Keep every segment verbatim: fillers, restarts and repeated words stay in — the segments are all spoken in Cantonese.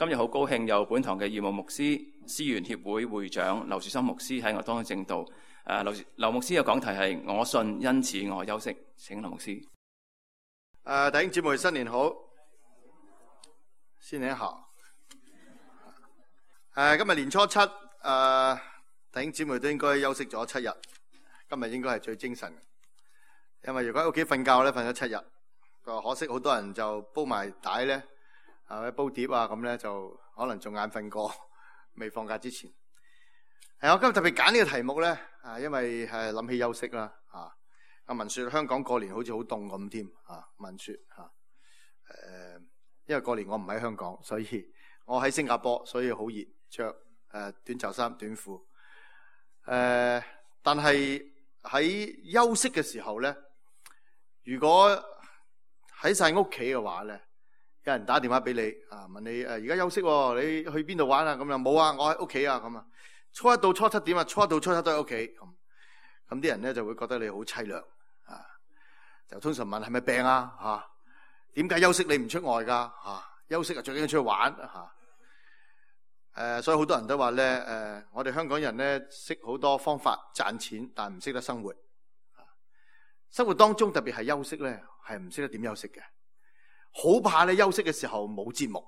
今日好高興有本堂嘅義務牧師、思源協會會長劉樹森牧師喺我當中證道。誒，劉劉牧師嘅講題係我信，因此我休息。請劉牧師。誒，弟兄姊妹新年好，新年好。誒，今日年初七，誒，弟兄姊妹都應該休息咗七日。今日應該係最精神嘅，因為如果喺屋企瞓覺咧，瞓咗七日。可惜好多人就煲埋帶咧，啊煲碟啊咁咧，就可能仲眼瞓過，未放假之前。係我今日特別揀呢個題目咧，啊因為係諗起休息啦，啊阿文說香港過年好似好凍咁添，啊文說吓，誒、啊、因為過年我唔喺香港，所以我喺新加坡，所以好熱，着誒短袖衫短褲，誒、啊、但係喺休息嘅時候咧，如果喺晒屋企嘅話咧，有人打電話俾你啊，問你誒而家休息喎，你去邊度玩啊？咁又冇啊，我喺屋企啊咁啊。初一到初七點啊，初一到初七都喺屋企咁，咁啲人咧就會覺得你好凄涼啊，就通常問係咪病啊嚇？點解休息你唔出外㗎嚇？休息啊最緊要出去玩嚇。誒，所以好多人都話咧誒，我哋香港人咧識好多方法賺錢，但唔識得生活。生活當中特別係休息咧，係唔識得點休息嘅，好怕你休息嘅時候冇節目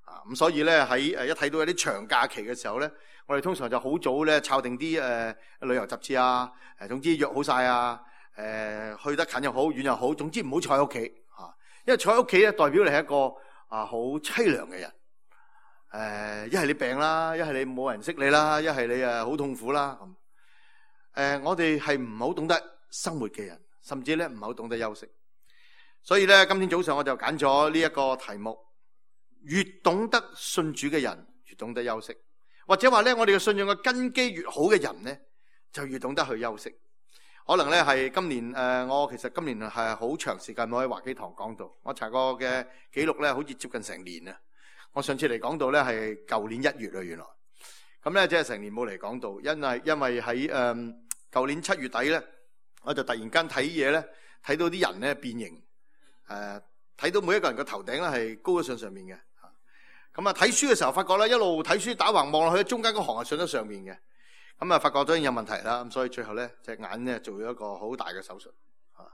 啊！咁所以咧喺誒一睇到有啲長假期嘅時候咧，我哋通常就好早咧抄定啲誒旅遊雜誌啊，誒總之約好晒啊，誒去得近又好遠又好，總之唔好坐喺屋企嚇，因為坐喺屋企咧代表你係一個啊好凄涼嘅人。誒一係你病啦，一係你冇人識你啦，一係你誒好痛苦啦咁。誒我哋係唔好懂得生活嘅人，甚至咧唔係好懂得休息，所以咧今天早上我就揀咗呢一個題目：越懂得信主嘅人，越懂得休息。或者話咧，我哋嘅信仰嘅根基越好嘅人咧，就越懂得去休息。可能咧係今年誒、呃，我其實今年係好長時間冇喺華基堂講道，我查過嘅記錄咧，好似接近成年啊。我上次嚟講道咧係舊年一月啊，原來咁咧即係成年冇嚟講道，因為因為喺誒舊年七月底咧。我就突然間睇嘢咧，睇到啲人咧變形，誒、呃、睇到每一個人個頭頂咧係高咗上上面嘅，咁啊睇書嘅時候發覺咧一路睇書打橫望落去，中間嗰行係上咗上面嘅，咁啊發覺咗已經有問題啦，咁所以最後咧隻眼咧做咗一個好大嘅手術，啊，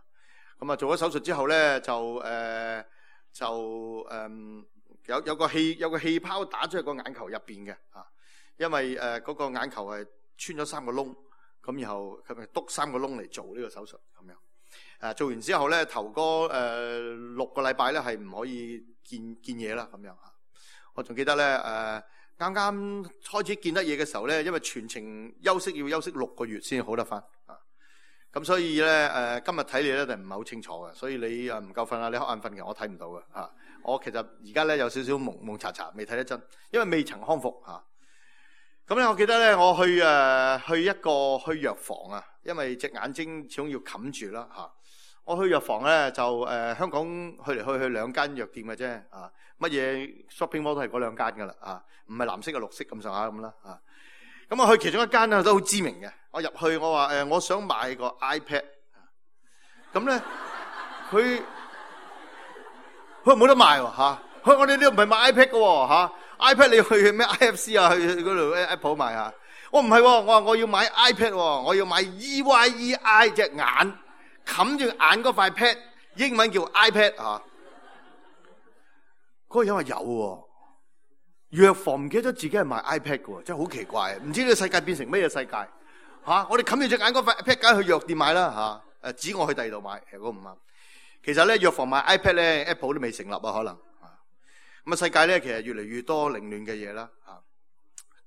咁啊做咗手術之後咧就誒、呃、就誒、呃、有有個氣有個氣泡打咗喺個眼球入邊嘅，啊，因為誒嗰、呃那個眼球係穿咗三個窿。咁然後佢咪篤三個窿嚟做呢個手術咁樣，誒、啊、做完之後咧頭嗰誒、呃、六個禮拜咧係唔可以見見嘢啦咁樣嚇。我仲記得咧誒啱啱開始見得嘢嘅時候咧，因為全程休息要休息六個月先好得翻啊。咁所以咧誒、呃、今日睇你咧就唔係好清楚嘅，所以你誒唔夠瞓啊，你瞌眼瞓嘅，我睇唔到嘅嚇、啊。我其實而家咧有少少蒙蒙查查，未睇得真，因為未曾康復嚇。啊咁咧，我記得咧，我去誒、呃、去一個去藥房啊，因為隻眼睛始終要冚住啦嚇。我去藥房咧就誒、呃、香港去嚟去去兩間藥店嘅啫啊，乜嘢 shopping mall 都係嗰兩間噶啦啊，唔係藍色嘅綠色咁上下咁啦啊。咁我去其中一間咧都好知名嘅，我入去我話誒、呃、我想買個 iPad， 咁咧佢佢冇得賣喎嚇，佢我哋呢度唔係買 iPad 嘅喎嚇。iPad 你去咩 I F C 啊？去嗰度 Apple 買啊？我唔係，我話我要買 iPad， 我要買 E Y E I 隻眼冚住眼嗰塊 pad， 英文叫 iPad 啊。嗰個人話有喎，藥房唔記得咗自己係賣 iPad 嘅喎，真係好奇怪，唔知呢個世界變成咩嘢世界嚇？我哋冚住隻眼嗰塊 pad， 梗係去藥店買啦嚇。誒，指我去第二度買，其實嗰唔啱。其實咧，藥房買 iPad 咧 ，Apple 都未成立啊，可能。咁啊，世界咧其實越嚟越多凌亂嘅嘢啦，嚇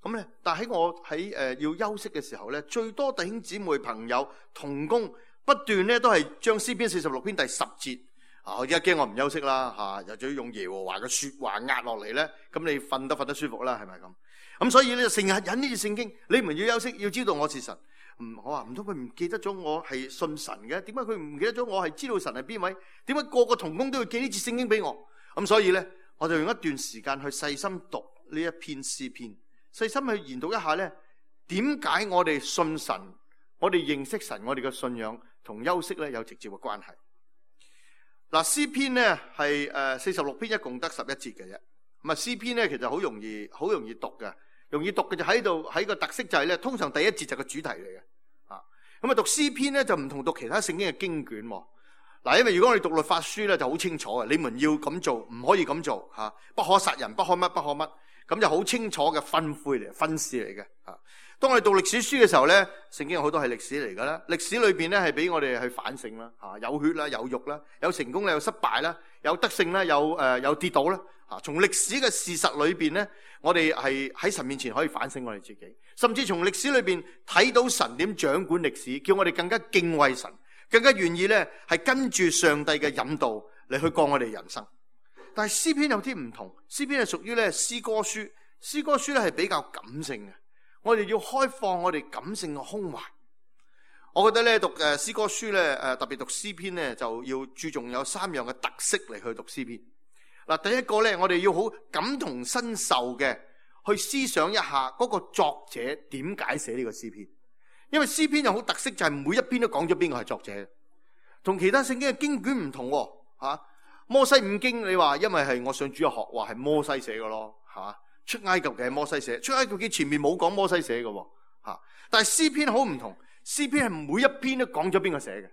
咁咧。但喺我喺誒、呃、要休息嘅時候咧，最多弟兄姊妹朋友同工不斷咧都係將詩篇四十六篇第十節啊，我而家驚我唔休息啦嚇，又仲要用耶和華嘅説話壓落嚟咧，咁你瞓得瞓得舒服啦，係咪咁？咁所以咧成日引呢啲聖經，你們要休息，要知道我是神。唔，我話唔通佢唔記得咗我係信神嘅？點解佢唔記得咗我係知道神係邊位？點解個個同工都要寄呢節聖經俾我？咁所以咧，我就用一段時間去細心讀呢一篇詩篇，細心去研讀一下咧，點解我哋信神，我哋認識神，我哋嘅信仰同休息咧有直接嘅關係。嗱，詩篇咧係誒四十六篇，一共得十一節嘅啫。咁啊，詩篇咧其實好容易好容易讀嘅，容易讀嘅就喺度喺個特色就係咧，通常第一節就係個主題嚟嘅。啊，咁啊讀詩篇咧就唔同讀其他聖經嘅經卷。嗱，因為如果我哋讀律法書咧就好清楚嘅，你們要咁做，唔可以咁做嚇，不可殺人，不可乜不可乜，咁就好清楚嘅吩咐嚟、訓示嚟嘅。啊，當我哋讀歷史書嘅時候咧，聖經有好多係歷史嚟噶啦，歷史裏邊咧係俾我哋去反省啦，嚇，有血啦，有肉啦，有成功啦，有失敗啦，有得勝啦，有誒有跌倒啦。嚇，從歷史嘅事實裏邊咧，我哋係喺神面前可以反省我哋自己，甚至從歷史裏邊睇到神點掌管歷史，叫我哋更加敬畏神。更加願意咧，係跟住上帝嘅引導嚟去過我哋人生。但係詩篇有啲唔同，詩篇係屬於咧詩歌書，詩歌書咧係比較感性嘅。我哋要開放我哋感性嘅胸懷。我覺得咧讀誒詩歌書咧誒特別讀詩篇咧就要注重有三樣嘅特色嚟去讀詩篇。嗱，第一個咧我哋要好感同身受嘅去思想一下嗰個作者點解寫呢個詩篇。因為詩篇有好特色，就係每一篇都講咗邊個係作者，同其他聖經嘅經卷唔同喎。吓，摩西五經你話因為係我上主日學話係摩西寫嘅咯，吓，出埃及嘅係摩西寫，出埃及記前面冇講摩西寫嘅，吓，但係詩篇好唔同，詩篇係每一篇都講咗邊個寫嘅，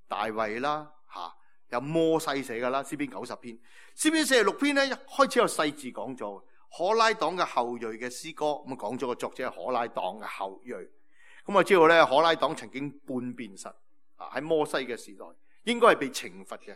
大衛啦，吓，有摩西寫噶啦，詩篇九十篇，詩篇四十六篇咧一開始有細字講咗，可拉黨嘅後裔嘅詩歌，咁啊講咗個作者係可拉黨嘅後裔。咁我知道咧，可拉黨曾經叛變神啊，喺摩西嘅時代，應該係被懲罰嘅，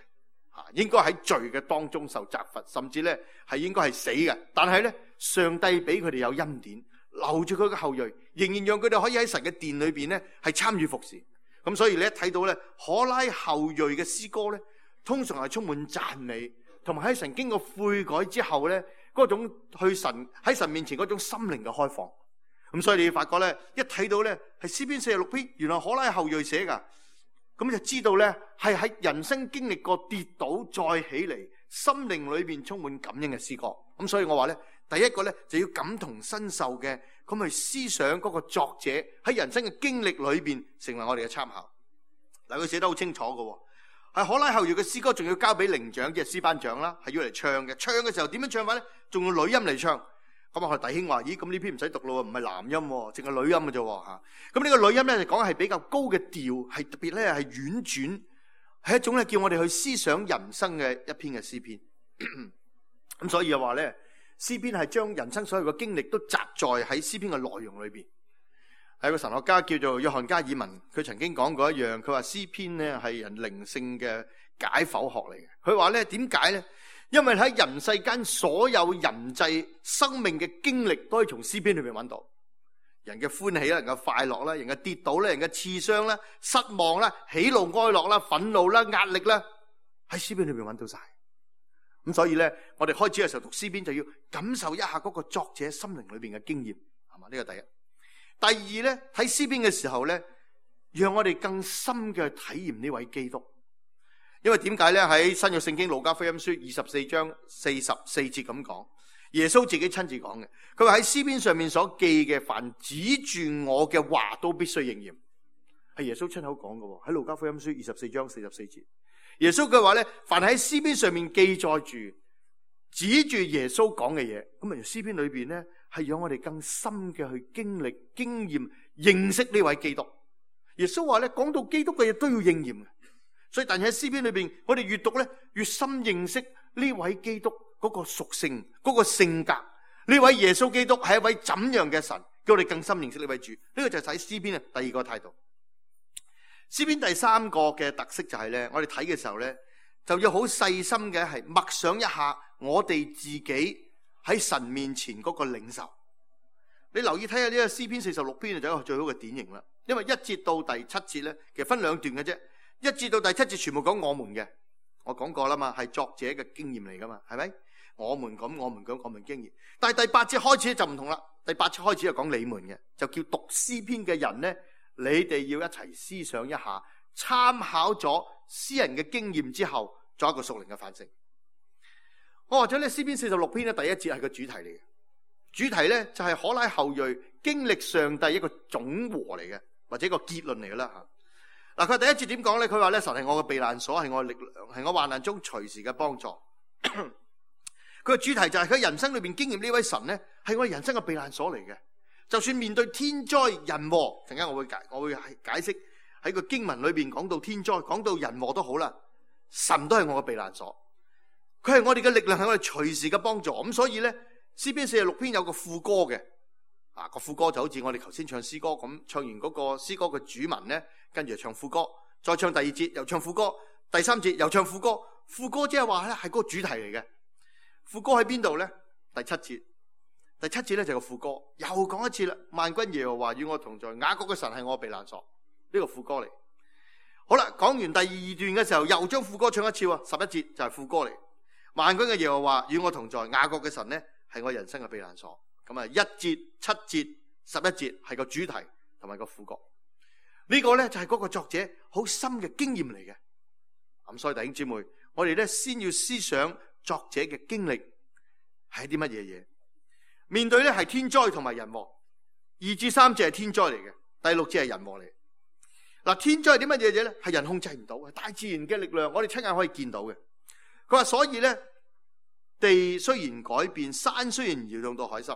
啊，應該喺罪嘅當中受責罰，甚至咧係應該係死嘅。但係咧，上帝俾佢哋有恩典，留住佢嘅後裔，仍然讓佢哋可以喺神嘅殿裏邊咧係參與服侍。咁所以你一睇到咧，可拉後裔嘅詩歌咧，通常係充滿讚美，同埋喺神經過悔改之後咧，嗰種去神喺神面前嗰種心靈嘅開放。咁所以你發覺咧，一睇到咧係詩篇四十六篇，原來可拉後裔寫噶，咁就知道咧係喺人生經歷過跌倒再起嚟，心靈裏邊充滿感恩嘅詩歌。咁所以我話咧，第一個咧就要感同身受嘅，咁去思想嗰個作者喺人生嘅經歷裏邊成為我哋嘅參考。嗱，佢寫得好清楚嘅，係可拉後裔嘅詩歌，仲要交俾伶長即係詩班長啦，係要嚟唱嘅。唱嘅時候點樣唱法咧？仲用女音嚟唱。咁啊，我哋弟兄話：咦，咁呢篇唔使讀咯，唔係男音，淨係女音嘅啫吓。咁呢個女音咧，就講係比較高嘅調，係特別咧係婉轉，係一種咧叫我哋去思想人生嘅一篇嘅詩篇。咁所以又話咧，詩篇係將人生所有嘅經歷都集載喺詩篇嘅內容裏邊。係個神學家叫做約翰加爾文，佢曾經講過一樣，佢話詩篇咧係人靈性嘅解剖學嚟嘅。佢話咧，點解咧？因為喺人世間所有人際生命嘅經歷都可以從詩篇裏面揾到，人嘅歡喜啦，人嘅快樂啦，人嘅跌倒啦，人嘅刺傷啦，失望啦，喜怒哀樂啦，憤怒啦，壓力啦，喺詩篇裏面揾到晒。咁所以咧，我哋開始嘅時候讀詩篇就要感受一下嗰個作者心靈裏邊嘅經驗，係嘛？呢個第一。第二咧，睇詩篇嘅時候咧，讓我哋更深嘅體驗呢位基督。因為點解咧？喺新約聖經路加福音書二十四章四十四節咁講，耶穌自己親自講嘅，佢話喺詩篇上面所記嘅，凡指住我嘅話都必須應驗，係耶穌親口講嘅。喺路加福音書二十四章四十四節，耶穌佢話咧，凡喺詩篇上面記載住指住耶穌講嘅嘢，咁啊，詩篇裏邊咧係讓我哋更深嘅去經歷、經驗、認識呢位基督。耶穌話咧，講到基督嘅嘢都要應驗。所以但係喺詩篇裏邊，我哋越讀咧越深認識呢位基督嗰個屬性、嗰個性格。呢位耶穌基督係一位怎樣嘅神，叫我哋更深認識呢位主。呢個就係睇詩篇嘅第二個態度。詩篇第三個嘅特色就係咧，我哋睇嘅時候咧，就要好細心嘅係默想一下我哋自己喺神面前嗰個領受。你留意睇下呢個詩篇四十六篇就係一個最好嘅典型啦。因為一節到第七節咧，其實分兩段嘅啫。一至到第七節全部講我們嘅，我講過啦嘛，係作者嘅經驗嚟噶嘛，係咪？我們咁，我們講我們經驗。但係第八節開始就唔同啦，第八節開始就講你們嘅，就叫讀詩篇嘅人咧，你哋要一齊思想一下，參考咗詩人嘅經驗之後，作一個屬靈嘅反省。我話咗咧，詩篇四十六篇咧，第一節係個主題嚟嘅，主題咧就係可拉後裔經歷上帝一個總和嚟嘅，或者一個結論嚟嘅啦吓。嗱，佢第一節點講咧？佢話咧，神係我嘅避難所，係我嘅力量，係我患難中隨時嘅幫助。佢佢嘅主題就係佢人生裏邊經驗呢位神咧，係我哋人生嘅避難所嚟嘅。就算面對天災人禍，陣間我會解我會解釋喺個經文裏邊講到天災，講到人禍都好啦，神都係我嘅避難所，佢係我哋嘅力量，係我哋隨時嘅幫助。咁所以咧，詩篇四十六篇有個副歌嘅，啊個副歌就好似我哋頭先唱詩歌咁，唱完嗰個詩歌嘅主文咧，跟住就唱副歌，再唱第二節又唱副歌，第三節又唱副歌。副歌即係話咧係嗰個主題嚟嘅。副歌喺邊度咧？第七節。第七節咧就係個副歌，又講一次啦。萬軍耶和華與我同在，雅各嘅神係我嘅避難所。呢個副歌嚟。好啦，講完第二段嘅時候，又將副歌唱一次喎。十一節就係副歌嚟。萬軍嘅耶和華與我同在，雅各嘅神咧係我人生嘅避難所。咁啊，一節、七節、十一節係個主題同埋個副歌。呢個咧就係嗰個作者好深嘅經驗嚟嘅。咁所以弟兄姊妹，我哋咧先要思想作者嘅經歷係啲乜嘢嘢。面對咧係天災同埋人禍，二至三節係天災嚟嘅，第六節係人禍嚟。嗱，天災係啲乜嘢嘢咧？係人控制唔到，係大自然嘅力量，我哋親眼可以見到嘅。佢話所以咧，地雖然改變，山雖然搖動到海心，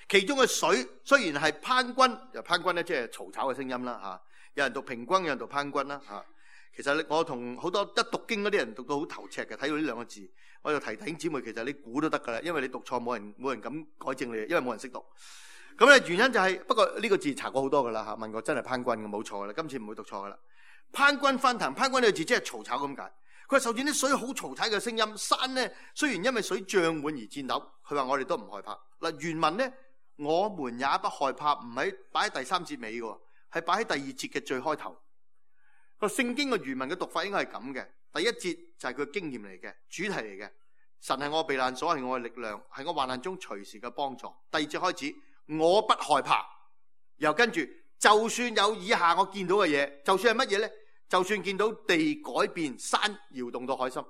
其中嘅水雖然係攀軍，又攀軍咧即係嘈吵嘅聲音啦吓。有人讀平軍，有人讀攀軍啦吓。其實我同好多一讀經嗰啲人讀到好頭赤嘅，睇到呢兩個字，我就提弟兄姊妹，其實你估都得噶啦，因為你讀錯冇人冇人敢改正你，因為冇人識讀。咁咧原因就係、是，不過呢個字查過好多噶啦吓，問過真係攀軍嘅，冇錯噶啦，今次唔會讀錯噶啦。攀軍翻騰，攀軍呢個字即係嘈吵咁解。佢話受見啲水好嘈吵嘅聲音，山咧雖然因為水漲滿而顫抖，佢話我哋都唔害怕。嗱，原文咧我們也不害怕，唔係擺喺第三節尾嘅，係擺喺第二節嘅最開頭。個聖經嘅原文嘅讀法應該係咁嘅，第一節就係佢經驗嚟嘅，主題嚟嘅。神係我避難所，係我嘅力量，係我患難中隨時嘅幫助。第二節開始，我不害怕，然後跟住就算有以下我見到嘅嘢，就算係乜嘢咧？就算見到地改變，山搖動到海心，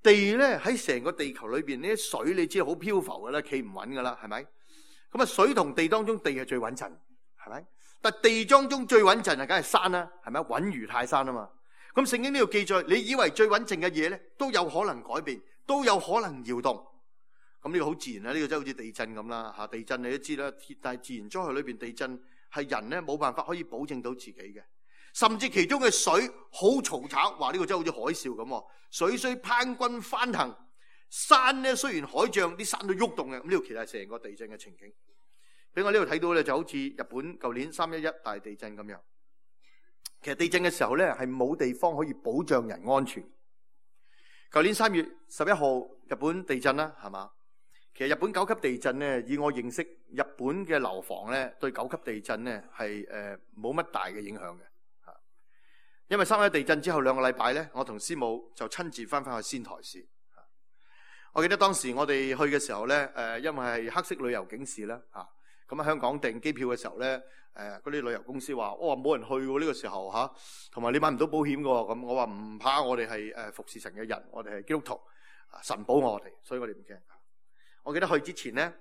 地咧喺成個地球裏邊呢啲水，你知好漂浮噶啦，企唔穩噶啦，係咪？咁啊，水同地當中，地係最穩陣，係咪？但地當中最穩陣啊，梗係山啦，係咪？穩如泰山啊嘛。咁聖經呢度記載，你以為最穩陣嘅嘢咧，都有可能改變，都有可能搖動。咁呢個好自然啦，呢個真係好似地震咁啦嚇。地震你都知啦，但係自然災害裏邊地震係人咧冇辦法可以保證到自己嘅，甚至其中嘅水好嘈吵，話呢個真係好似海嘯咁。水雖攀軍翻騰，山咧雖然海漲，啲山都喐動嘅。咁呢個其實係成個地震嘅情景。俾我呢度睇到咧，就好似日本舊年三一一大地震咁樣。其實地震嘅時候咧，係冇地方可以保障人安全。舊年三月十一號日本地震啦，係嘛？其實日本九級地震咧，以我認識，日本嘅樓房咧對九級地震咧係誒冇乜大嘅影響嘅嚇。因為三一地震之後兩個禮拜咧，我同師母就親自翻返去仙台市。我記得當時我哋去嘅時候咧，誒因為係黑色旅遊警示啦嚇。咁喺香港訂機票嘅時候咧，誒嗰啲旅遊公司話：我話冇人去喎呢個時候嚇，同埋你買唔到保險嘅喎。咁我話唔怕，我哋係誒服侍神嘅人，我哋係基督徒，神保我哋，所以我哋唔驚。我記得去之前咧，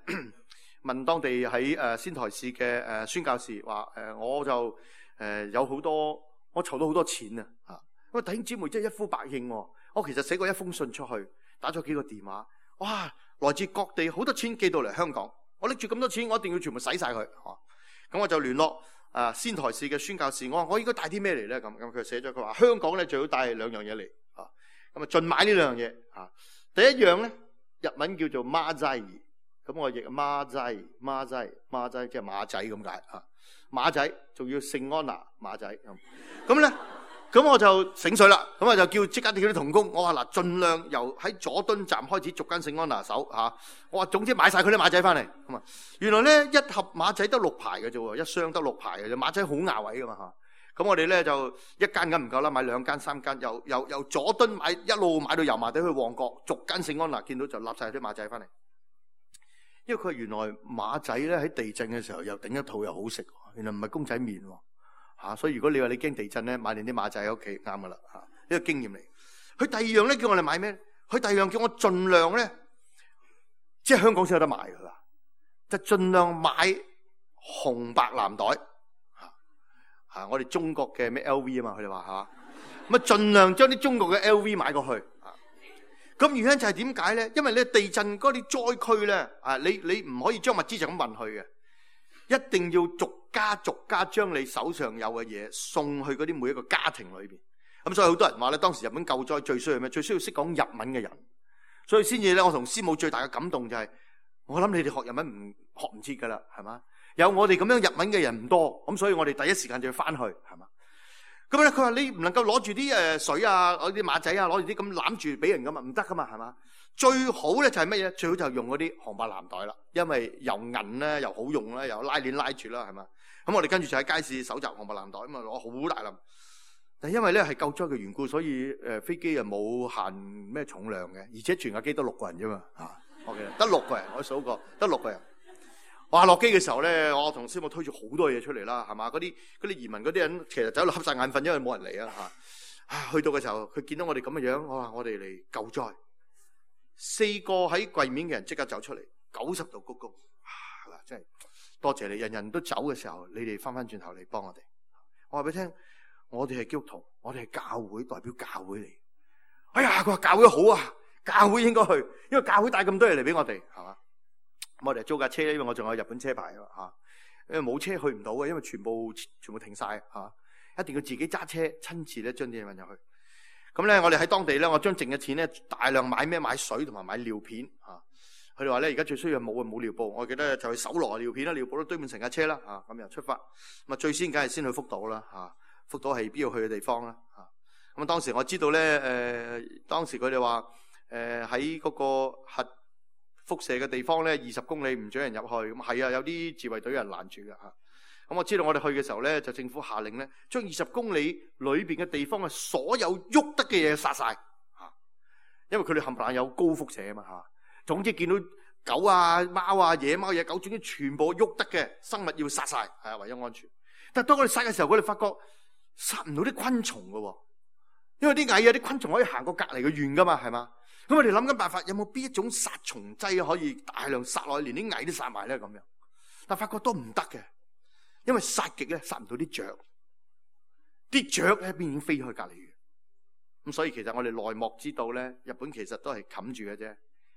問當地喺誒仙台市嘅誒宣教士話：誒我就誒有好多，我籌到好多錢啊嚇。因為弟兄姊妹真係一呼百應喎。我其實寫過一封信出去，打咗幾個電話，哇！來自各地好多錢寄到嚟香港。我拎住咁多錢，我一定要全部使晒佢。咁我就聯絡啊仙台市嘅宣教士，我話我應該帶啲咩嚟咧？咁咁佢寫咗，佢話香港咧最好帶兩樣嘢嚟。啊，咁啊盡買呢兩樣嘢。啊，第一樣咧日文叫做馬仔，咁我譯馬仔馬仔馬仔即係馬仔咁解。啊，馬仔仲要聖安娜馬仔咁。咁咧。咁我就醒水啦，咁我就叫即刻叫啲同工，我話嗱，盡量由喺佐敦站開始逐間聖安娜手嚇，我話總之買晒佢啲馬仔翻嚟。咁啊，原來咧一盒馬仔得六排嘅啫喎，一箱得六排嘅啫，馬仔好牙位噶嘛嚇。咁我哋咧就一間咁唔夠啦，買兩間三間，由由由佐敦買一路買到油麻地去旺角，逐間聖安娜見到就立晒啲馬仔翻嚟。因為佢原來馬仔咧喺地震嘅時候又頂一套又好食，原來唔係公仔麵喎。啊，所以如果你話你驚地震咧，買定啲馬仔喺屋企啱噶啦嚇，呢個經驗嚟。佢第二樣咧叫我哋買咩？佢第二樣叫我盡量咧，即係香港先有得買㗎啦，就盡量買紅白藍袋嚇嚇。我哋中國嘅咩 L V 啊嘛，佢哋話嚇，咁啊盡量將啲中國嘅 L V 買過去嚇。咁原因就係點解咧？因為咧地震嗰啲災區咧，啊，你你唔可以將物資就咁運去嘅，一定要逐家逐家將你手上有嘅嘢送去嗰啲每一個家庭裏邊。咁所以好多人話咧，當時日本救災最需要咩？最需要識講日文嘅人。所以先至咧，我同師母最大嘅感動就係，我諗你哋學日文唔學唔切噶啦，係嘛？有我哋咁樣日文嘅人唔多，咁所以我哋第一時間就要翻去，係嘛？咁咧，佢話你唔能夠攞住啲誒水啊，攞啲馬仔啊，攞住啲咁攬住俾人噶嘛，唔得噶嘛，係嘛？最好咧就係乜嘢？最好就用嗰啲紅白藍袋啦，因為又銀咧，又好用啦，又拉鏈拉住啦，係嘛？咁我哋跟住就喺街市搜集紅白藍袋，咁啊攞好大粒。但因為咧係救災嘅緣故，所以誒、呃、飛機啊冇限咩重量嘅，而且全架機得六個人啫嘛，嚇，OK，得六個人，我數過得六個人。哇！落機嘅時候咧，我同師母推住好多嘢出嚟啦，係嘛？嗰啲嗰啲移民嗰啲人其實走到瞌晒眼瞓，因為冇人嚟啊嚇。啊，去到嘅時候，佢見到我哋咁嘅樣，我話我哋嚟救災。四個喺櫃面嘅人即刻走出嚟，九十度鞠躬。嗱，真係多謝你，人人都走嘅時候，你哋翻翻轉頭嚟幫我哋。我話俾你聽，我哋係基督徒，我哋係教會，代表教會嚟。哎呀，佢話教會好啊，教會應該去，因為教會帶咁多嘢嚟俾我哋，係嘛？我哋租架車，因為我仲有日本車牌啊，吓，因為冇車去唔到嘅，因為全部全部停晒吓，一定要自己揸車親自咧將啲嘢運入去。咁咧，我哋喺當地咧，我將剩嘅錢咧大量買咩？買水同埋買尿片吓。佢哋話咧，而家最需要冇啊冇尿布，我記得就去搜羅尿片啦，尿布都堆滿成架車啦吓，咁又出發。咁啊，最先梗係先去福島啦吓，福島係必要去嘅地方啦吓。咁啊，當時我知道咧，誒、呃，當時佢哋話誒喺嗰個核輻射嘅地方咧，二十公里唔准人入去。咁係啊，有啲自衛隊人攔住嘅嚇。咁我知道我哋去嘅時候咧，就政府下令咧，將二十公里裏邊嘅地方嘅所有喐得嘅嘢殺晒嚇，因為佢哋冚唪唥有高輻射啊嘛嚇。總之見到狗啊、貓啊、野貓、野狗，總之全部喐得嘅生物要殺晒，係啊，為咗安全。但係當我哋殺嘅時候，我哋發覺殺唔到啲昆蟲嘅喎，因為啲蟻啊、啲昆蟲可以行過隔離嘅院噶嘛，係嘛？咁我哋諗緊辦法，有冇邊一種殺蟲劑可以大量殺落去，連啲蟻都殺埋咧咁樣？但發覺都唔得嘅，因為殺極咧殺唔到啲雀，啲雀喺邊已經飛去隔離嘅。咁所以其實我哋內幕知道咧，日本其實都係冚住嘅啫。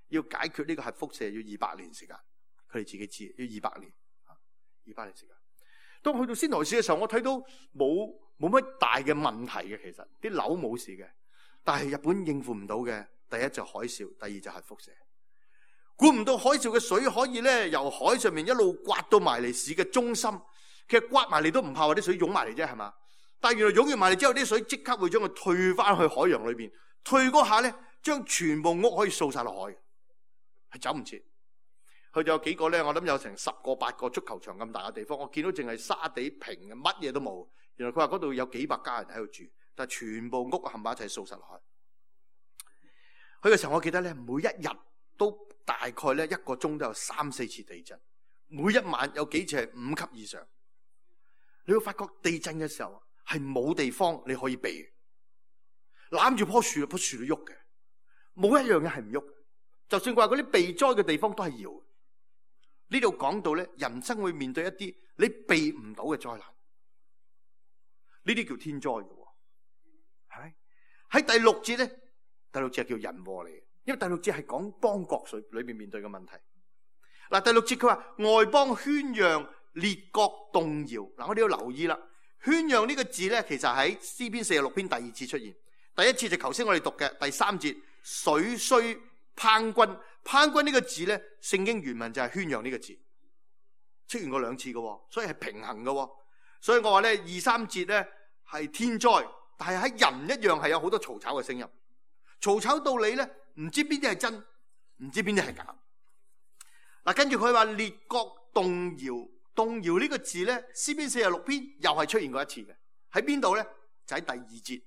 要解決呢個核輻射要二百年時間，佢哋自己知要二百年，二百年時間。當去到仙台市嘅時候，我睇到冇冇乜大嘅問題嘅，其實啲樓冇事嘅，但係日本應付唔到嘅。第一就海嘯，第二就係輻射。估唔到海嘯嘅水可以咧由海上面一路刮到埋嚟市嘅中心。其實刮埋嚟都唔怕話啲水湧埋嚟啫，係嘛？但係原來湧完埋嚟之後，啲水即刻會將佢退翻去海洋裏邊。退嗰下咧，將全部屋可以掃晒落海，係走唔切。佢就有幾個咧，我諗有成十個八個足球場咁大嘅地方，我見到淨係沙地平嘅，乜嘢都冇。原來佢話嗰度有幾百家人喺度住，但係全部屋冚埋一齊掃晒落海。去嘅時候，我記得咧，每一日都大概咧一個鐘都有三四次地震，每一晚有幾次係五級以上。你會發覺地震嘅時候係冇地方你可以避，攬住棵樹，棵樹都喐嘅，冇一樣嘢係唔喐。就算話嗰啲避災嘅地方都係搖。呢度講到咧，人生會面對一啲你避唔到嘅災難，呢啲叫天災嘅，係咪？喺第六節咧。第六節係叫人禍嚟嘅，因為第六節係講邦國水裏面面對嘅問題。嗱，第六節佢話外邦喧嚷，列國動搖。嗱，我哋要留意啦，喧嚷呢個字咧，其實喺詩篇四十六篇第二次出現。第一次就頭先我哋讀嘅第三節，水雖滂轟，滂轟呢個字咧，聖經原文就係喧嚷呢個字，出現過兩次嘅，所以係平衡嘅。所以我話咧，二三節咧係天災，但係喺人一樣係有好多嘈吵嘅聲音。嘈吵到你咧，唔知邊啲係真，唔知邊啲係假。嗱，跟住佢話列國動搖，動搖呢個字咧，詩篇四十六篇又係出現過一次嘅。喺邊度咧？就喺第二節。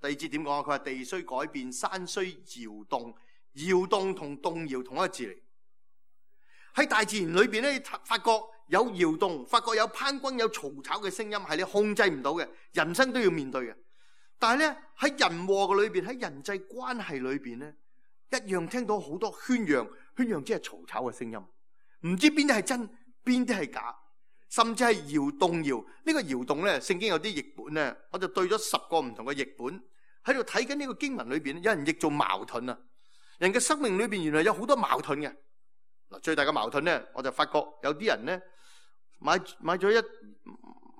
第二節點講啊？佢話地雖改變，山雖搖動，搖動同動搖同一個字嚟。喺大自然裏邊咧，發覺有搖動，發覺有滂轟、有嘈吵嘅聲音，係你控制唔到嘅，人生都要面對嘅。但係咧，喺人禍嘅裏邊，喺人際關係裏邊咧，一樣聽到好多喧嚷，喧嚷即係嘈吵嘅聲音，唔知邊啲係真，邊啲係假，甚至係搖動搖。呢個搖動咧，聖經有啲譯本咧，我就對咗十個唔同嘅譯本喺度睇緊呢個經文裏邊，有人譯做矛盾啊。人嘅生命裏邊原來有好多矛盾嘅。嗱，最大嘅矛盾咧，我就發覺有啲人咧買買咗一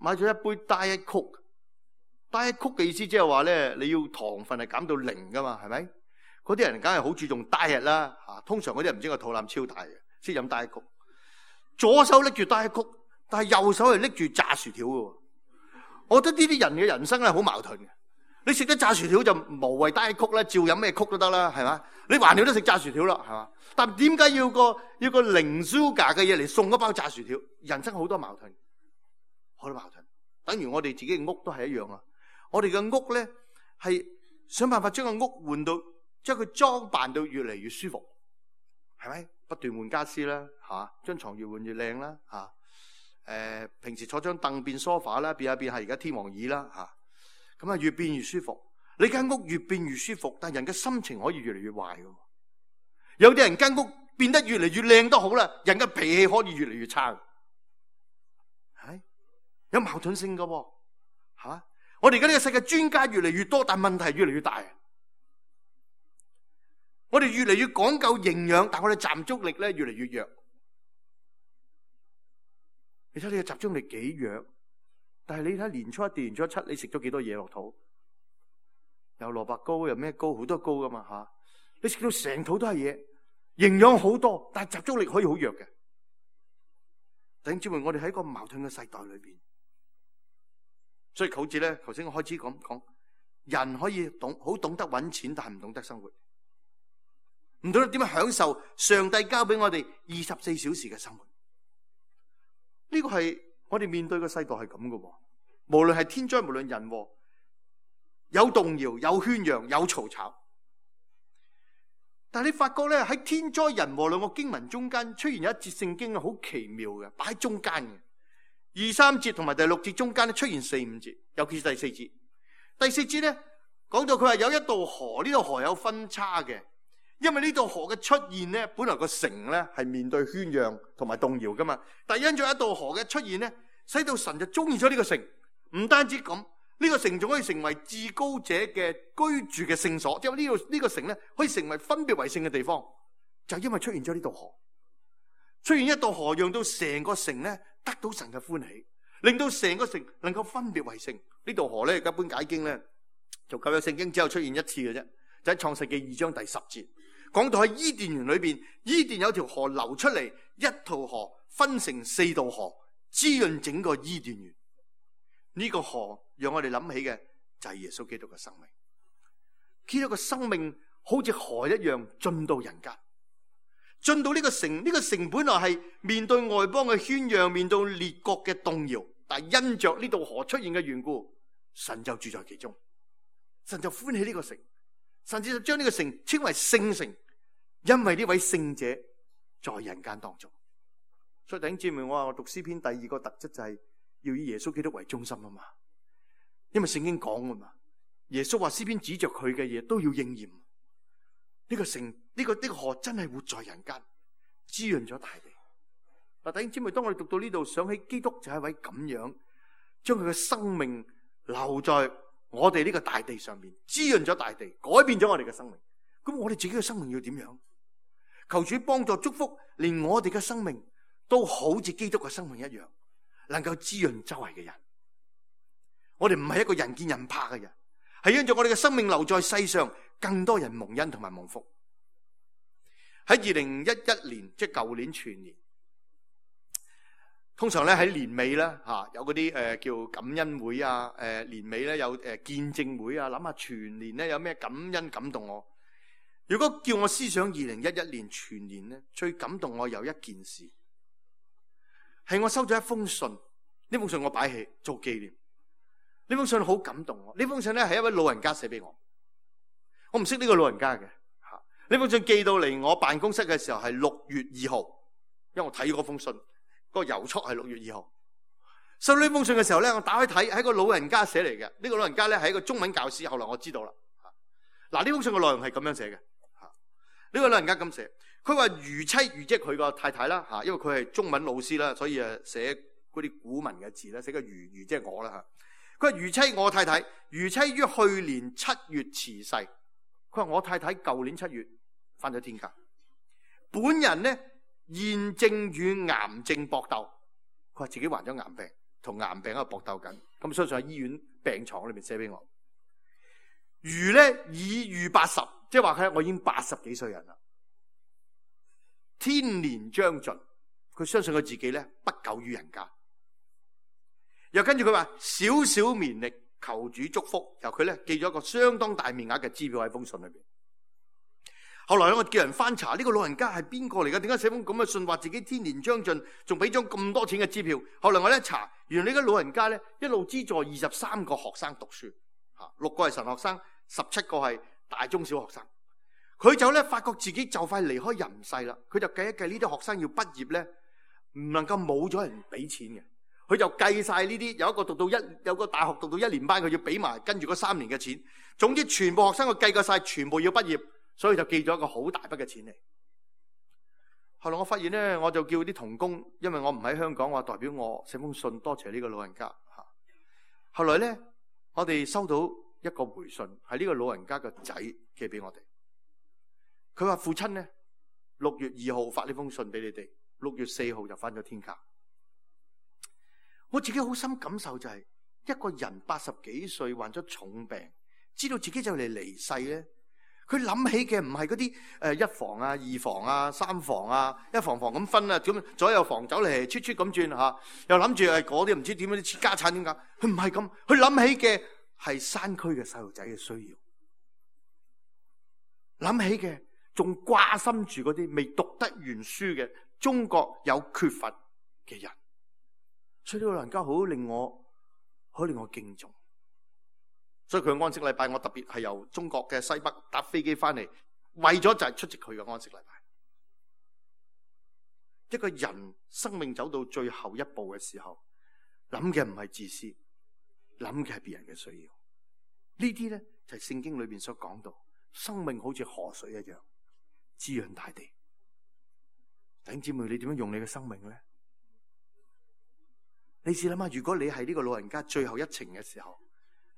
買咗一杯 Diet Coke。Diet Coke 嘅意思即係話咧，你要糖分係減到零噶嘛，係咪？嗰啲人梗係好注重 diet 啦，吓，通常嗰啲人唔知個肚腩超大嘅，先飲 Diet Coke。左手拎住 Diet Coke，但係右手係拎住炸薯條嘅。我覺得呢啲人嘅人生咧好矛盾嘅。你食得炸薯條就無謂 Diet Coke啦，照飲咩曲都得啦，係嘛？你還了都食炸薯條啦，係嘛？但點解要個要個零 sugar 嘅嘢嚟送一包炸薯條？人生好多矛盾，好多矛盾。等於我哋自己嘅屋都係一樣啊！我哋嘅屋咧係想辦法將個屋換到，將佢裝扮到越嚟越舒服，係咪？不斷換家私啦，吓，張床越換越靚啦，吓。誒、呃，平時坐張凳變 sofa 啦，變下變下而家天王椅啦，吓。咁啊，越變越舒服。你間屋越變越舒服，但人嘅心情可以越嚟越壞嘅。有啲人間屋變得越嚟越靚都好啦，人嘅脾氣可以越嚟越差，係有矛盾性嘅，吓。我哋而家呢個世界專家越嚟越多，但問題越嚟越大。我哋越嚟越講究營養，但我哋集中力咧越嚟越弱。你睇你嘅集中力幾弱？但係你睇年初一、年初七，你食咗幾多嘢落肚？有蘿蔔糕，有咩糕，好多糕噶嘛吓！你食到成肚都係嘢，營養好多，但係集中力可以好弱嘅。弟兄姊妹，我哋喺一個矛盾嘅世代裏邊，所以好似咧，頭先我開始講講，人可以懂好懂得搵錢，但係唔懂得生活，唔懂得點樣享受上帝交俾我哋二十四小時嘅生活。呢個係我哋面對嘅世代係咁嘅，無論係天災，無論人禍，有動搖，有喧嚷，有嘈吵。但係你發覺咧，喺天災人禍兩個經文中間出現有一節聖經好奇妙嘅，擺喺中間嘅。二三節同埋第六節中間咧出現四五節，尤其是第四節。第四節咧講到佢話有一道河，呢道河有分叉嘅，因為呢道河嘅出現咧，本來個城咧係面對喧嚷同埋動搖噶嘛，但係因咗一道河嘅出現咧，使到神就中意咗呢個城。唔單止咁，呢個城仲可以成為至高者嘅居住嘅聖所，即係呢個呢個城咧可以成為分別為聖嘅地方，就因為出現咗呢道河。出現一道河，讓到成個城咧得到神嘅歡喜，令到成個城能夠分別為聖。呢道河咧，一般解經咧就舊約聖經只有出現一次嘅啫，就喺創世記二章第十節，講到喺伊甸園裏邊，伊甸有條河流出嚟，一條河分成四道河，滋潤整個伊甸園。呢個河讓我哋諗起嘅就係耶穌基督嘅生命。基督嘅生命好似河一樣進到人間，進到呢個城。呢個城本來係面對外邦嘅喧嚷，面對列國嘅動搖，但係因着呢道河出現嘅緣故，神就住在其中，神就歡喜呢個城，甚至就將呢個城稱為聖城，因為呢位聖者在人間當中。所以弟兄姊妹，我話我讀詩篇第二個特質就係要以耶穌基督為中心啊嘛，因為聖經講啊嘛，耶穌話詩篇指着佢嘅嘢都要應驗。呢個城，呢個呢個河真係活在人間，滋潤咗大地。嗱，弟兄姊妹，當我哋讀到呢度，想起基督就係一位咁樣，將佢嘅生命留在我哋呢個大地上面，滋潤咗大地，改變咗我哋嘅生命。咁我哋自己嘅生命要點樣？求主幫助祝福，連我哋嘅生命都好似基督嘅生命一樣，能夠滋潤周圍嘅人。我哋唔係一個人見人怕嘅人，係因着我哋嘅生命留在世上，更多人蒙恩同埋蒙福。喺二零一一年，即係舊年全年，通常咧喺年尾咧吓有嗰啲誒叫感恩會啊，誒年尾咧有誒見證會啊，諗下全年咧有咩感恩感動我。如果叫我思想二零一一年全年咧，最感動我有一件事，係我收咗一封信，呢封信我擺起做紀念。呢封信好感動我，呢封信咧係一位老人家寫俾我，我唔識呢個老人家嘅吓。呢封信寄到嚟我辦公室嘅時候係六月二號，因為我睇嗰封信，個郵戳係六月二號。收到呢封信嘅時候咧，我打開睇，係個老人家寫嚟嘅。呢個老人家咧係一個中文教師，後來我知道啦。嗱，呢封信嘅內容係咁樣寫嘅。呢個老人家咁寫，佢話如妻如即係佢個太太啦吓，因為佢係中文老師啦，所以誒寫嗰啲古文嘅字咧，寫個如如即係我啦吓。佢話如妻我太太，如妻於去年七月辭世。佢話我太太舊年七月返咗天家。本人呢現正與癌症搏鬥，佢話自己患咗癌病，同癌病喺度搏鬥緊。咁相信喺醫院病床裏面寫俾我。如咧已逾八十，即係話佢我已經八十幾歲人啦，天年將盡，佢相信佢自己咧不久於人間。又跟住佢話少少綿力，求主祝福。由佢咧寄咗一個相當大面額嘅支票喺封信裏邊。後來我叫人翻查呢個老人家係邊個嚟㗎？點解寫封咁嘅信話自己天年將盡，仲俾咗咁多錢嘅支票？後來我一查，原來呢個老人家咧一路資助二十三個學生讀書。六個係神學生，十七個係大中小學生。佢就咧發覺自己就快離開人世啦，佢就計一計呢啲學生要畢業咧，唔能夠冇咗人俾錢嘅。佢就計晒呢啲，有一個讀到一，有個大學讀到一年班，佢要俾埋跟住嗰三年嘅錢。總之全部學生佢計過晒，全部要畢業，所以就寄咗一個好大筆嘅錢嚟。後來我發現咧，我就叫啲同工，因為我唔喺香港，我代表我寫封信多謝呢個老人家吓。後來咧。我哋收到一個回信，係呢個老人家嘅仔寄俾我哋。佢話父親咧六月二號發呢封信俾你哋，六月四號就翻咗天家。我自己好深感受就係、是、一個人八十幾歲患咗重病，知道自己就嚟離世咧，佢諗起嘅唔係嗰啲誒一房啊、二房啊、三房啊，一房房咁分啊，咁左右房走嚟出出咁轉吓，又諗住係嗰啲唔知點樣啲家產點解，佢唔係咁，佢諗起嘅係山區嘅細路仔嘅需要，諗起嘅仲掛心住嗰啲未讀得完書嘅中國有缺乏嘅人，所以呢個老人家好令我好令我敬重。所以佢嘅安息禮拜，我特別係由中國嘅西北搭飛機翻嚟，為咗就係出席佢嘅安息禮拜。一個人生命走到最後一步嘅時候，諗嘅唔係自私，諗嘅係別人嘅需要。呢啲咧就係聖經裏邊所講到，生命好似河水一樣滋潤大地。弟兄姊妹，你點樣用你嘅生命咧？你試諗下，如果你係呢個老人家最後一程嘅時候，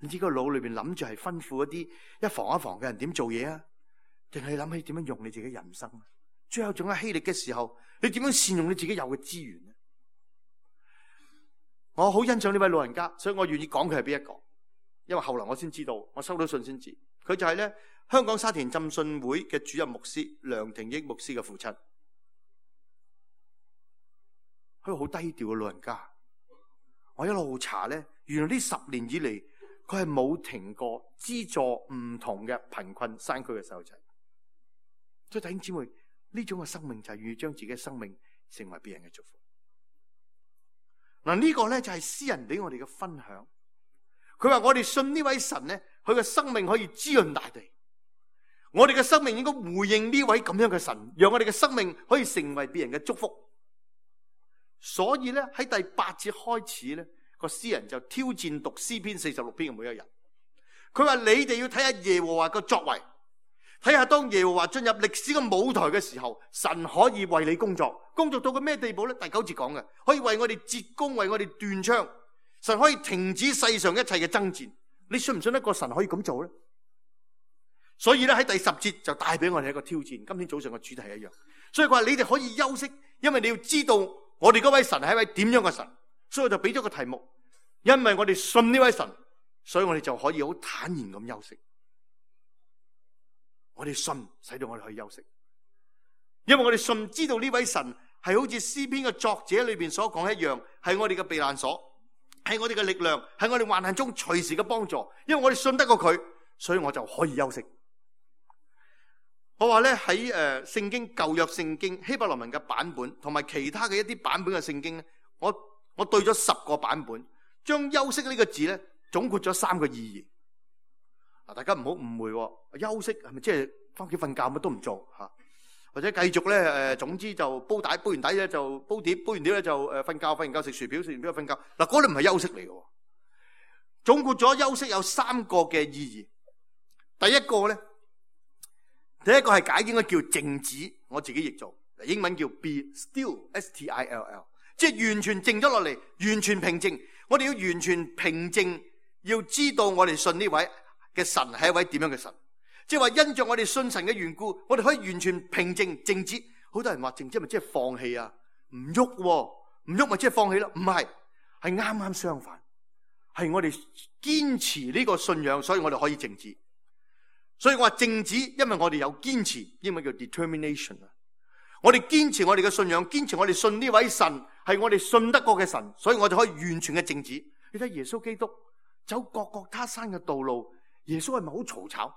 你知個腦裏邊諗住係吩咐一啲一房一房嘅人點做嘢啊？定係諗起點樣用你自己人生？最後仲有氣力嘅時候，你點樣善用你自己有嘅資源呢？我好欣賞呢位老人家，所以我願意講佢係邊一個。因為後來我先知道，我收到信先知，佢就係咧香港沙田浸信會嘅主任牧師梁廷益牧師嘅父親。佢個好低調嘅老人家，我一路查咧，原來呢十年以嚟，佢係冇停過資助唔同嘅貧困山區嘅細路仔。所以弟兄姊妹，呢種嘅生命就係願意將自己嘅生命成為別人嘅祝福。嗱，呢個咧就係詩人俾我哋嘅分享。佢話我哋信呢位神咧，佢嘅生命可以滋潤大地。我哋嘅生命應該回應呢位咁樣嘅神，讓我哋嘅生命可以成為別人嘅祝福。所以咧喺第八節開始咧，個詩人就挑戰讀詩篇四十六篇嘅每一人。佢話你哋要睇下耶和華嘅作為，睇下當耶和華進入歷史嘅舞台嘅時候，神可以為你工作，工作到個咩地步咧？第九節講嘅，可以為我哋折弓，為我哋斷槍，神可以停止世上一切嘅爭戰。你信唔信得過神可以咁做咧？所以咧喺第十節就帶俾我哋一個挑戰。今天早上嘅主題一樣，所以佢話你哋可以休息，因為你要知道我哋嗰位神係一位點樣嘅神。所以我就俾咗個題目，因為我哋信呢位神，所以我哋就可以好坦然咁休息。我哋信，使到我哋可以休息，因為我哋信知道呢位神係好似詩篇嘅作者裏邊所講一樣，係我哋嘅避難所，係我哋嘅力量，係我哋患難中隨時嘅幫助。因為我哋信得過佢，所以我就可以休息。我話咧喺誒聖經舊約聖經希伯來文嘅版本，同埋其他嘅一啲版本嘅聖經咧，我我對咗十個版本，將休息呢個字咧總括咗三個意義。嗱，大家唔好誤會，休息係咪即係翻屋企瞓覺乜都唔做吓，或者繼續咧誒，總之就煲底，煲完底咧就煲碟，煲完碟咧就誒瞓覺，瞓完覺食薯條，食完條瞓覺。嗱，嗰啲唔係休息嚟嘅。總括咗休息有三個嘅意義。第一個咧，第一個係解應該叫靜止，我自己譯做，英文叫 be still S T I L L， 即係完全靜咗落嚟，完全平靜。我哋要完全平靜，要知道我哋信呢位嘅神係一位點樣嘅神。即係話因着我哋信神嘅緣故，我哋可以完全平靜靜止。好多人話靜止咪即係放棄啊，唔喐喎，唔喐咪即係放棄咯？唔係，係啱啱相反，係我哋堅持呢個信仰，所以我哋可以靜止。所以我話靜止，因為我哋有堅持，英文叫 determination 啊。我哋堅持我哋嘅信仰，堅持我哋信呢位神係我哋信得過嘅神，所以我哋可以完全嘅靜止。你睇耶穌基督走各各他山嘅道路，耶穌係咪好嘈吵？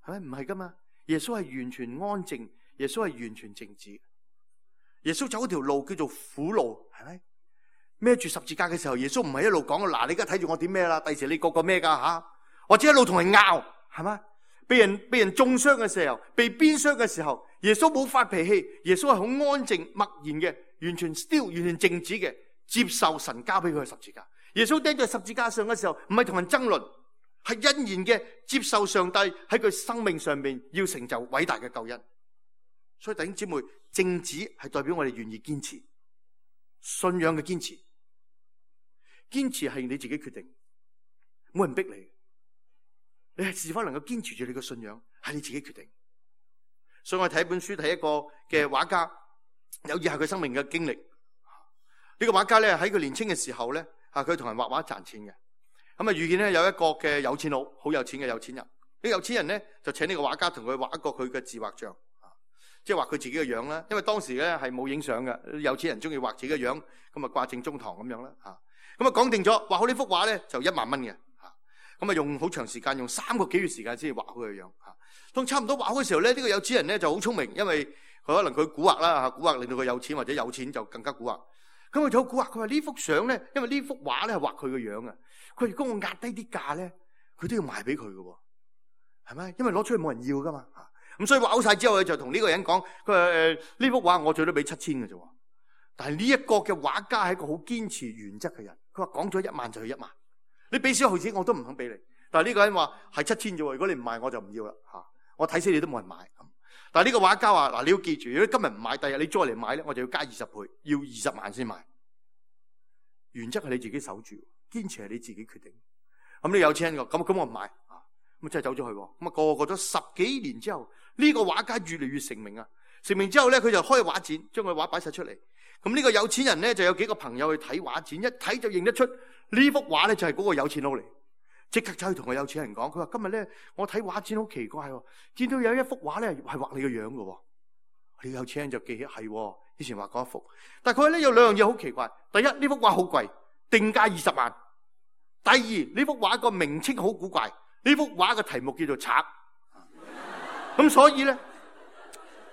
係咪？唔係噶嘛？耶穌係完全安靜，耶穌係完全靜止。耶穌走嗰條路叫做苦路，係咪？孭住十字架嘅時候，耶穌唔係一路講嗱，你而家睇住我點咩啦？第時你個個咩噶吓？或者一路同人拗，係咪？被人被人中傷嘅時候，被鞭傷嘅時候，耶穌冇發脾氣，耶穌係好安靜默然嘅，完全 still 完全靜止嘅，接受神交俾佢嘅十字架。耶穌釘在十字架上嘅時候，唔係同人爭論，係欣然嘅接受上帝喺佢生命上面要成就偉大嘅救恩。所以弟兄姊妹，靜止係代表我哋願意堅持信仰嘅堅持。堅持係你自己決定，冇人逼你。你係是否能夠堅持住你嘅信仰，係你自己決定。所以我睇一本書，睇一個嘅畫家，有以下佢生命嘅經歷。呢個畫家咧喺佢年輕嘅時候咧，啊佢同人畫畫賺錢嘅。咁啊遇見咧有一個嘅有錢佬，好有錢嘅有錢人。呢個有錢人咧就請呢個畫家同佢畫一個佢嘅自畫像，即係畫佢自己嘅樣啦。因為當時咧係冇影相嘅，有錢人中意畫自己嘅樣，咁啊掛正中堂咁樣啦。吓，咁啊講定咗，畫好呢幅畫咧就一萬蚊嘅。咁啊用好長時間，用三個幾月時間先至畫好佢嘅樣吓。當差唔多畫好嘅時候咧，呢個有錢人咧就好聰明，因為佢可能佢蠱惑啦吓，蠱惑令到佢有錢，或者有錢就更加蠱惑。咁佢就好蠱惑，佢話呢幅相咧，因為呢幅畫咧係畫佢嘅樣啊。佢話如果我壓低啲價咧，佢都要賣俾佢嘅，係咪？因為攞出去冇人要噶嘛吓。咁所以畫好晒之後，佢就同呢個人講，佢話誒呢幅畫我最多俾七千嘅啫。但係呢一個嘅畫家係一個好堅持原則嘅人，佢話講咗一萬就係一萬。你俾少毫子我都唔肯俾你，但係呢個人話係七千啫喎，如果你唔賣我就唔要啦吓，我睇死你都冇人買。但係呢個畫家話嗱，你要記住，如果今日唔買，第日你再嚟買咧，我就要加二十倍，要二十萬先買。原則係你自己守住，堅持係你自己決定。咁你有錢人個，咁咁我唔買啊，咁真係走咗去。咁啊過過咗十幾年之後，呢個畫家越嚟越成名啊！成名之後咧，佢就開畫展，將佢畫擺晒出嚟。咁呢個有錢人咧就有幾個朋友去睇畫展，一睇就認得出呢幅畫咧就係嗰個有錢佬嚟，即刻走去同個有錢人講，佢話今日咧我睇畫展好奇怪，見到有一幅畫咧係畫你個樣嘅。呢個有錢人就記起係以前畫過一幅，但係佢咧有兩樣嘢好奇怪。第一，呢幅畫好貴，定價二十萬。第二，呢幅畫個名稱好古怪，呢幅畫嘅題目叫做賊。咁所以咧。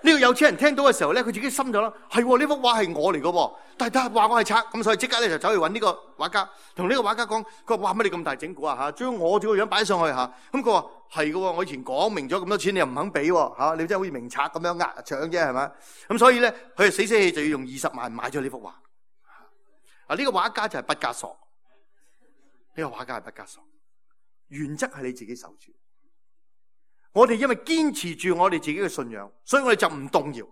呢個有錢人聽到嘅時候咧，佢自己心咗啦，係呢幅畫係我嚟嘅，但係話我係賊，咁所以即刻咧就走去搵呢個畫家，同呢個畫家講，佢話哇乜你咁大整蠱啊吓，將我這個樣擺上去吓，咁佢話係嘅，我以前講明咗咁多錢，你又唔肯俾吓，你真係好似明賊咁樣呃搶啫係咪？咁所以咧，佢就死死氣就要用二十萬買咗呢幅畫。啊，呢個畫家就係畢加索，呢個畫家係畢加索，原則係你自己守住。我哋因為堅持住我哋自己嘅信仰，所以我哋就唔動搖。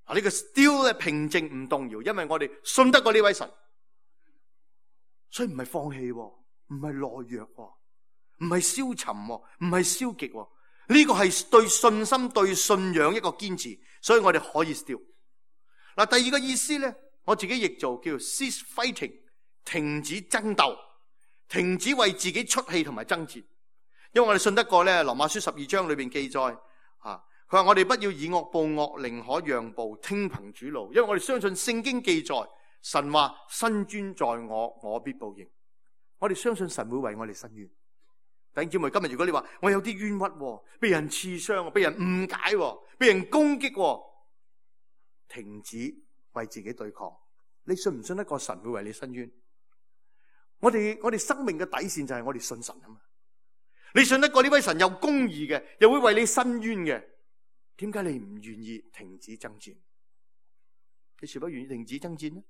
啊，呢個 still 咧平靜唔動搖，因為我哋信得過呢位神，所以唔係放棄，唔係懦弱，唔係消沉，唔係消極。呢個係對信心、對信仰一個堅持，所以我哋可以 still。嗱，第二個意思咧，我自己譯做叫 cease fighting， 停止爭鬥，停止為自己出氣同埋爭戰。因為我哋信得過咧，羅馬書十二章裏邊記載，啊，佢話我哋不要以惡報惡，寧可讓步，聽憑主怒。因為我哋相信聖經記載，神話伸冤在我，我必報應。我哋相信神會為我哋伸冤。弟兄姊妹，今日如果你話我有啲冤屈，被人刺傷，被人誤解，被人攻擊，停止為自己對抗。你信唔信得過神會為你伸冤？我哋我哋生命嘅底線就係我哋信神啊嘛。你信得過呢位神有公義嘅，又會為你伸冤嘅，點解你唔願意停止爭戰？你是否願意停止爭戰呢？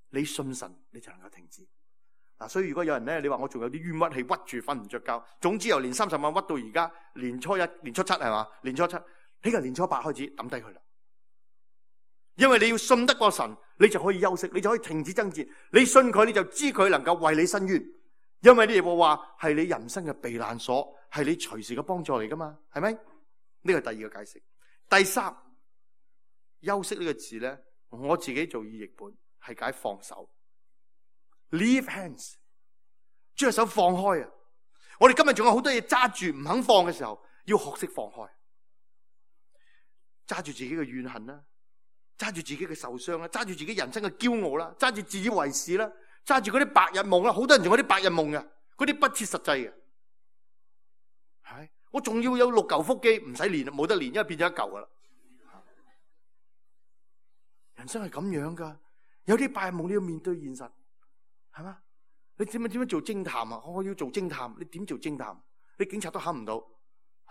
你信神，你就能夠停止。嗱，所以如果有人咧，你話我仲有啲冤屈氣屈住瞓唔着覺，總之由年三十晚屈到而家年初一、年初七係嘛？年初七呢個年初八開始抌低佢啦。因為你要信得過神，你就可以休息，你就可以停止爭戰。你信佢，你就知佢能夠為你伸冤。因為呢個話係你人生嘅避難所，係你隨時嘅幫助嚟噶嘛，係咪？呢個係第二個解釋。第三，休息呢個字咧，我自己做意譯本係解放手 ，leave hands， 將手放開啊！我哋今日仲有好多嘢揸住唔肯放嘅時候，要學識放開，揸住自己嘅怨恨啦，揸住自己嘅受傷啦，揸住自己人生嘅驕傲啦，揸住自以為是啦，揸住嗰啲白日夢啦，好多人仲有啲白日夢嘅，嗰啲不切實際嘅，係我仲要有六嚿腹肌，唔使練，冇得練，因為變咗一嚿噶啦。人生係咁樣噶，有啲白日夢你要面對現實，係嘛？你點樣點樣做偵探啊？我要做偵探，你點做偵探？你警察都考唔到，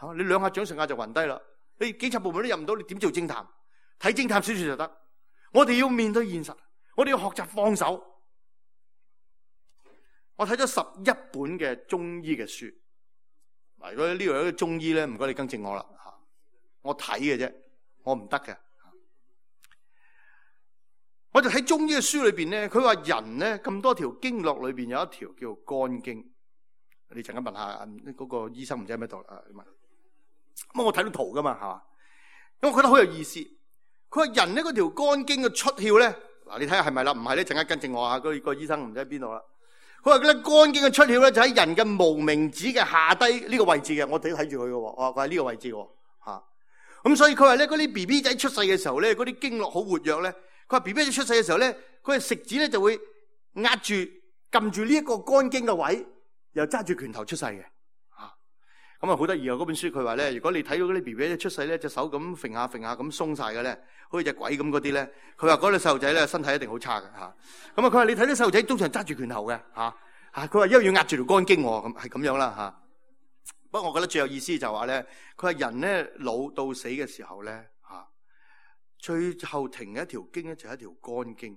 吓你兩下掌上壓就暈低啦。你警察部門都入唔到，你點做偵探？睇偵探小說就得。我哋要面對現實，我哋要學習放手。我睇咗十一本嘅中醫嘅書，嗱，如果呢度有啲中醫咧，唔該你更正我啦吓。我睇嘅啫，我唔得嘅。我就睇中醫嘅書裏邊咧，佢話人咧咁多條經絡裏邊有一條叫肝經。你陣間問下嗰個醫生唔知喺咩度啊？咁我睇到圖噶嘛，係嘛？咁我覺得好有意思。佢話人咧嗰條肝經嘅出竅咧，嗱你睇下係咪啦？唔係咧，陣間跟正我啊！嗰個醫生唔知喺邊度啦。佢話咧肝經嘅出竅咧就喺人嘅無名指嘅下低呢個位置嘅，我哋都睇住佢嘅。我話佢喺呢個位置嘅吓。咁所以佢話咧嗰啲 B B 仔出世嘅時候咧，嗰啲經絡好活躍咧。佢話 B B 仔出世嘅時候咧，佢係食指咧就會壓住撳住呢一個肝經嘅位，又揸住拳頭出世嘅。吓咁啊好得意啊！嗰本書佢話咧，如果你睇到嗰啲 B B 仔出世咧，隻手咁揈下揈下咁鬆晒嘅咧，好似隻鬼咁嗰啲咧，佢話嗰個細路仔咧身體一定好差嘅吓。咁啊佢話你睇啲細路仔通常揸住拳頭嘅吓吓，佢話因為要壓住條肝經，咁係咁樣啦吓。不過我覺得最有意思就話咧，佢話人咧老到死嘅時候咧。最後停嘅一條經咧就係一條肝經。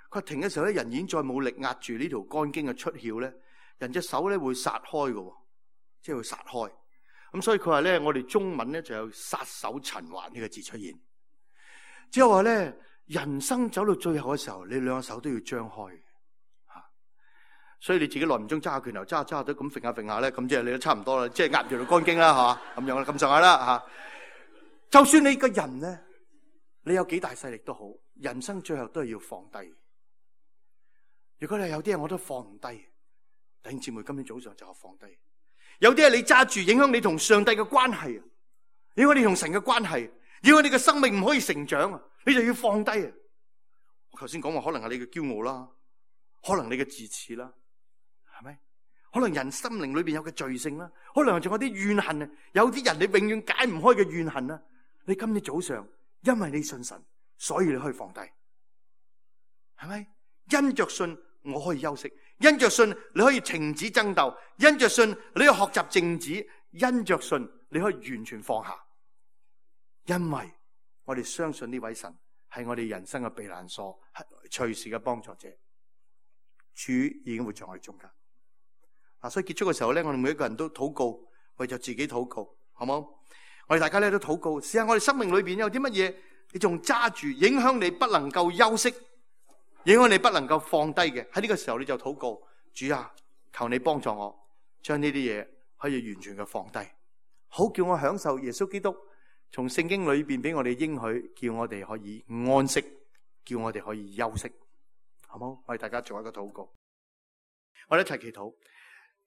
佢話停嘅時候咧，人已經再冇力壓住呢條肝經嘅出竅咧，人隻手咧會撒開嘅，即係會撒開。咁所以佢話咧，我哋中文咧就有撒手塵寰呢個字出現。即係話咧，人生走到最後嘅時候，你兩個手都要張開吓。所以你自己耐唔中揸下拳頭，揸下揸下都咁揈下揈下咧，咁即係你都差唔多啦，即係壓住條肝經啦，係嘛咁樣啦，咁上下啦吓。就算你個人咧。你有幾大勢力都好，人生最後都係要放低。如果你有啲嘢我都放唔低，弟兄姊妹今天早上就放低。有啲嘢你揸住，影響你同上帝嘅關係，影響你同神嘅關係，影響你嘅生命唔可以成長啊！你就要放低啊！我頭先講話，可能係你嘅驕傲啦，可能你嘅自恃啦，係咪？可能人心靈裏邊有嘅罪性啦，可能仲有啲怨恨啊！有啲人你永遠解唔開嘅怨恨啊！你今日早上。因為你信神，所以你可以放低，係咪？因着信我可以休息，因着信你可以停止爭鬥，因着信你可以學習靜止，因着信你可以完全放下。因為我哋相信呢位神係我哋人生嘅避難所，係隨時嘅幫助者。主已經會在我哋中間。嗱，所以結束嘅時候咧，我哋每一個人都禱告，為咗自己禱告，好冇？我哋大家咧都禱告，試下我哋生命裏邊有啲乜嘢，你仲揸住，影響你不能夠休息，影響你不能夠放低嘅。喺呢個時候你就禱告，主啊，求你幫助我，將呢啲嘢可以完全嘅放低，好叫我享受耶穌基督從聖經裏邊俾我哋應許，叫我哋可以安息，叫我哋可以休息，好冇？我哋大家做一個禱告，我哋一齊祈禱。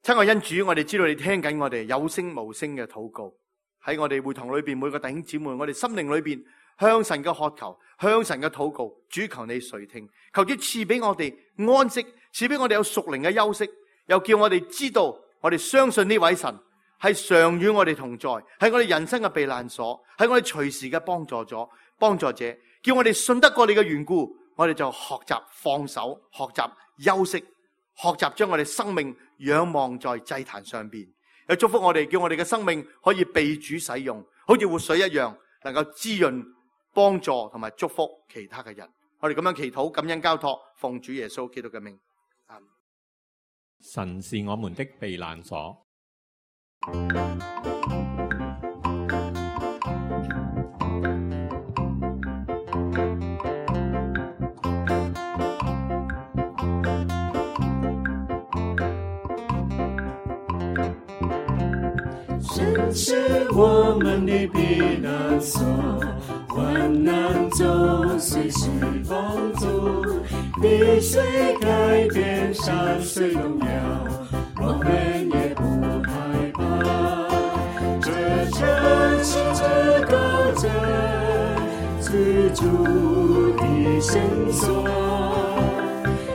親愛恩主，我哋知道你聽緊我哋有聲無聲嘅禱告。喺我哋會堂裏邊，每個弟兄姊妹，我哋心靈裏邊向神嘅渴求，向神嘅禱告，主求你垂聽，求主賜俾我哋安息，賜俾我哋有屬靈嘅休息，又叫我哋知道，我哋相信呢位神係常與我哋同在，係我哋人生嘅避難所，係我哋隨時嘅幫助咗幫助者，叫我哋信得過你嘅緣故，我哋就學習放手，學習休息，學習將我哋生命仰望在祭壇上邊。又祝福我哋，叫我哋嘅生命可以被主使用，好似活水一樣，能夠滋潤、幫助同埋祝福其他嘅人。我哋咁樣祈禱、感恩、交託，奉主耶穌基督嘅名。神是我們的避難所。神是我们的避难所，患难中随时帮助，地水改变，山水动摇，我们也不害怕。这城市之高者，居住的绳索，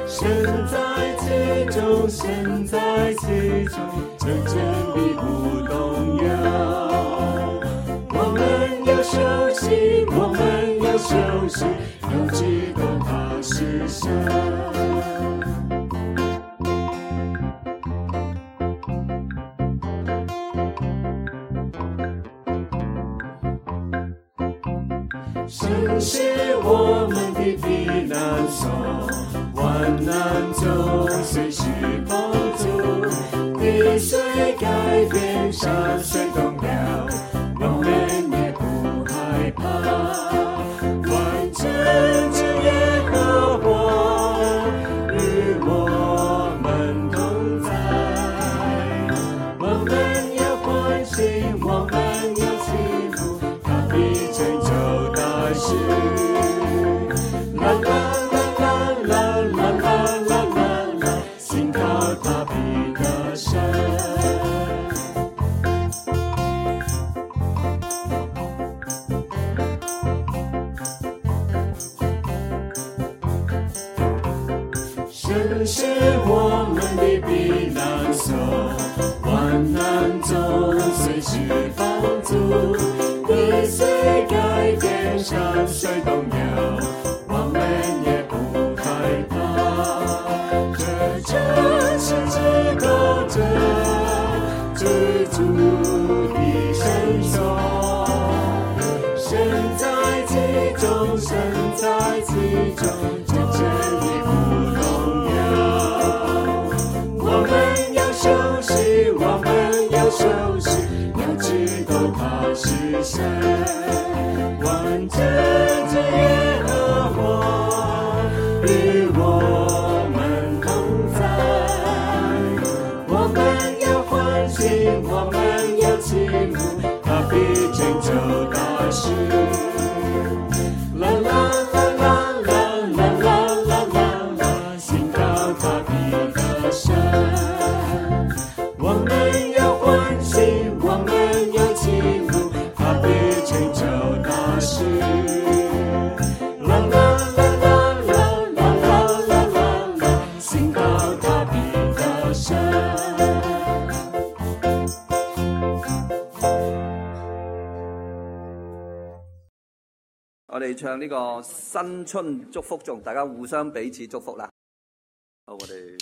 身在其中，身在其中，真正的不动摇。我们要休息，我们要休息，要知道他是神。神是我们的避难所，患难中随时帮助，地水改变，山水动摇，我们也不害怕。万军之耶和华与我们同在，我们要欢喜，我们要祈福，他必成就大事。啦啦啦啦啦啦啦啦啦啦，信靠他必得胜。神是我们的避难所，患难中随时帮助，地水改变，山水动摇，我们也不害怕。这城市之高者，居住的绳索，身在其中，身在其中，真正的不动摇。我们要休息，我们要休息，要知道他是神。万军之耶和华与我们同在，我们要欢喜，我们要祈福，他必成就大事。啦啦啦啦啦啦啦啦啦啦，信靠他必得胜。我们要欢喜，我们要祈福，他必成就大事。啦啦啦啦啦啦啦啦啦啦，信靠他必得胜。我哋唱呢個新春祝福頌，大家互相彼此祝福啦。好，我哋。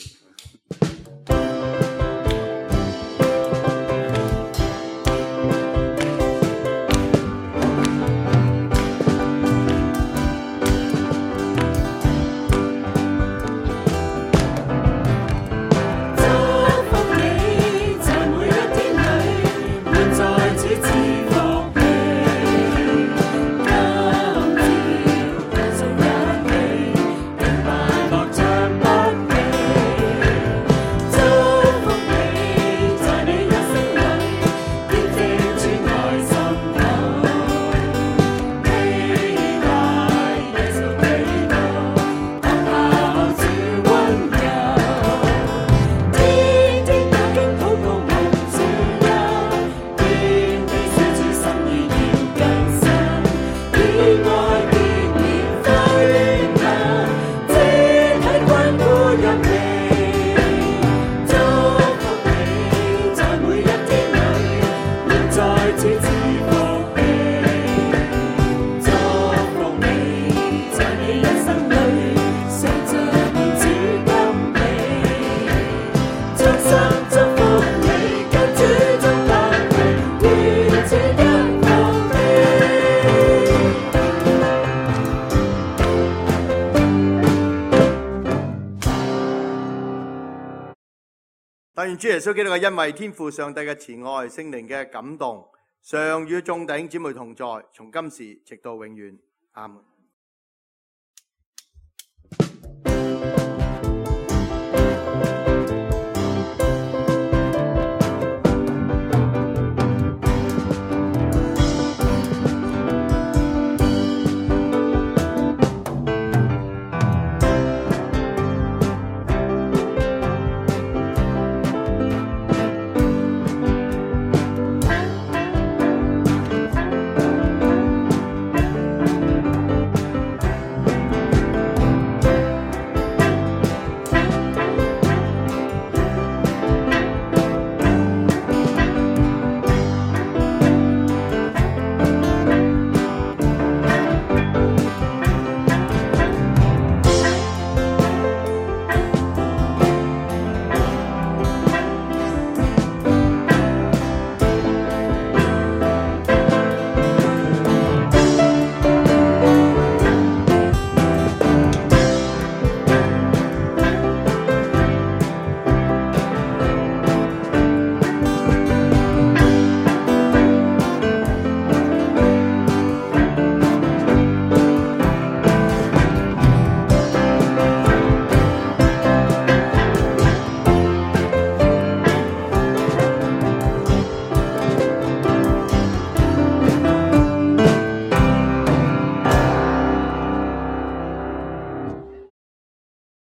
但願主耶穌基督嘅恩惠、天父上帝嘅慈愛、聖靈嘅感動，常與眾弟兄姊妹同在，從今時直到永遠。阿門。